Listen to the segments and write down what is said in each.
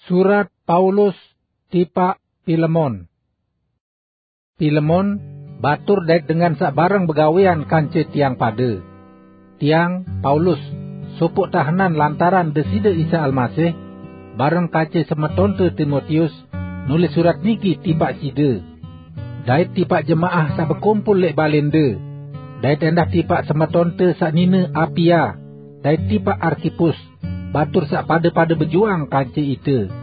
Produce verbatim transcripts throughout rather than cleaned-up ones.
Surat Paulus tipaq Pilemon. Pilemon, batur dait dengan saq bareng begawean kance tiang pade. Tiang, Paulus, sopoq tahenan lantaran Deside Isa Almasih, bareng kance semetonte Timotius, nulis surat niki tipaq side, dait tipaq jemaah saq bekumpul leq balende, dait endah tipaq semetonte saq nine Apia, dait tipaq Arkipus, batur saq pade-pade bejuang kance ite.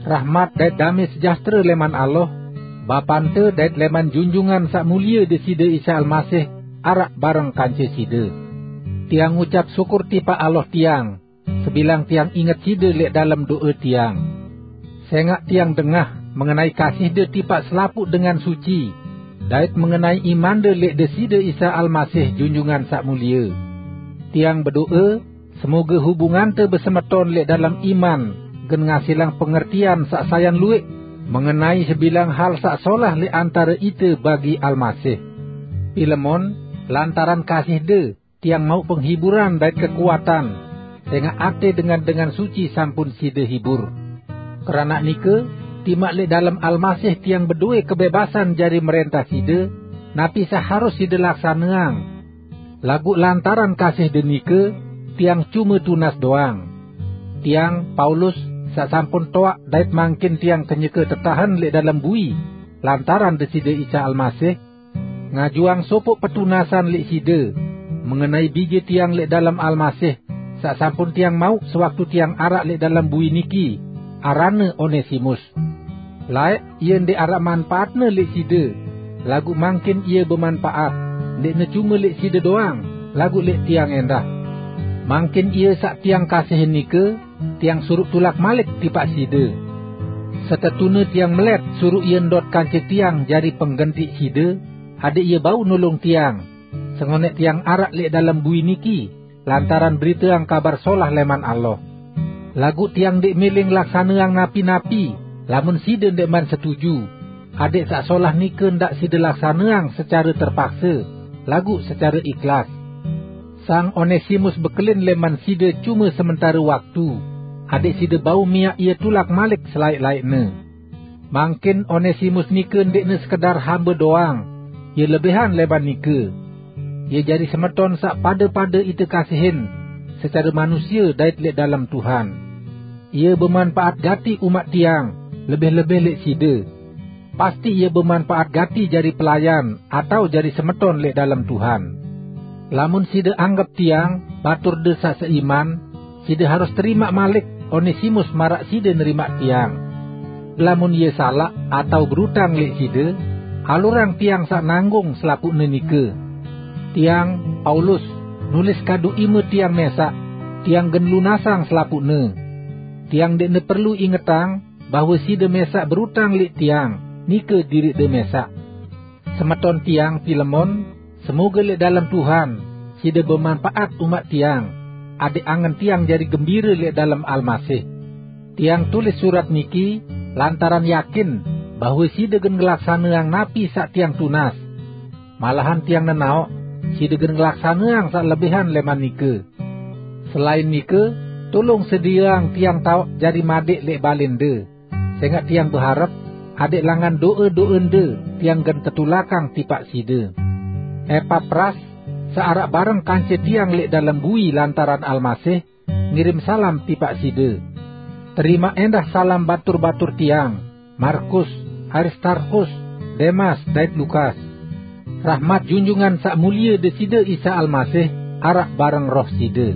Rahmat dait dame sejahtere leman Allah, Bapante dait leman Junjungan Saq Mulie Deside Isa Almasih araq bareng kance side. Tiang ngucap syukur tipaq Allah tiang, sebilang tiang inget side leq dalem do'e tiang. Sengaq tiang dengah mengenai kasihde tipaq selapuq dengan suci, dait mengenai imande leq Deside Isa Almasih Junjungan Saq Mulie. Tiang bedo'e, semoge hubungante besemeton leq dalem iman gen ngasilang pengertian saq sayan lueq mengenai sebilang hal saq solah leq antare ite bagi Almasih. Pilemon, lantaran kasihde, tiang mauq penghiburan dait kekuatan, sengaq ate dengan-dengan suci sampun side hibur. Keranaq nike, timaq leq dalem Almasih tiang bedowe kebebasan jari merentah side, napi saq harus side laksaneang. Laguq lantaran kasihde nike, tiang cume tunas doang. Tiang, Paulus, saq sampun toaq dait mangkin tiang kenyeke tetahen leq dalem bui lantaran Deside Isa Almasih, ngajuang sopoq petunasan leq side, mengenai bije tiang leq dalem Almasih, saq sampun tiang mauq sewaktu tiang araq leq dalem bui niki, aranne Onesimus. Laeq ie ndeq araq manpaatne leq side, laguq mangkin ie bemanpaat, ndeqne cume leq side doang, laguq leq tiang endah. Mangkin ie saq tiang kasihin nike, tiang suruq tulak malik tipaq side. Setetune tiang melet suruq ie ndot kance tiang jari penggentiq side, adeq ie bau nulung tiang, sengoneq tiang araq leq dalem bui niki, lantaran beriteang Kabar Solah leman Allah. Laguq tiang ndeq mele ngelaksaneang napi-napi, lamun side ndeqman setuju, adeq saq solah nike ndaq side laksaneang secare terpakse, laguq secare ikhlas. Sang Onesimus bekelin leman side cume sementare waktu, adeq side bau miaq ie tulak malik selaeq-laeqne. Mangkin Onesimus nike ndeqne sekedar hambe doang, ie lebihan leman nike. Ie jari semeton saq pade-pade ite kasihin, secare manusie dait leq dalem Tuhan. Ie bemanpaat gati umaq tiang, lebih-lebih leq side. Pasti ie bemanpaat gati jari pelayan atao jari semeton leq dalem Tuhan. Lamun side anggep tiang baturde saq seiman, side harus terimaq malik Onesimus maraq side nerimaq tiang. Lamun ie salaq atao berutang leq side, alurang tiang saq nanggung selapuqne nike. Tiang, Paulus, nulis kadu ime tiang mesaq, tiang gen lunasang selapuqne. Tiang ndeqne perlu ingetang bahwe side mesaq berutang leq tiang, nike diriqde mesaq. Semeton tiang, Pilemon, semoge leq dalem Tuhan, side bemanpaat umaq tiang, adeq angen tiang jari gembire leq dalem Almasih. Tiang tulis surat niki lantaran yakin bahwe side gen ngelaksaneang napi saq tiang tunas. Malahan tiang nenaoq, side gen ngelaksaneang saq lebihan leman nike. Selain nike, tulung sedieang tiang taoq jari madeq leq balende, sengaq tiang beharep, adeq langan do'e-do'ende tiang gen tetulakang tipaq side. Epapras, saq araq bareng kance tiang leq dalem bui lantaran Almasih, ngirim salam tipaq side. Terimaq endah salam batur-batur tiang, Markus, Aristarkhus, Demas, dait Lukas. Rahmat Junjungan Saq Mulie Deside Isa Almasih araq bareng roh side.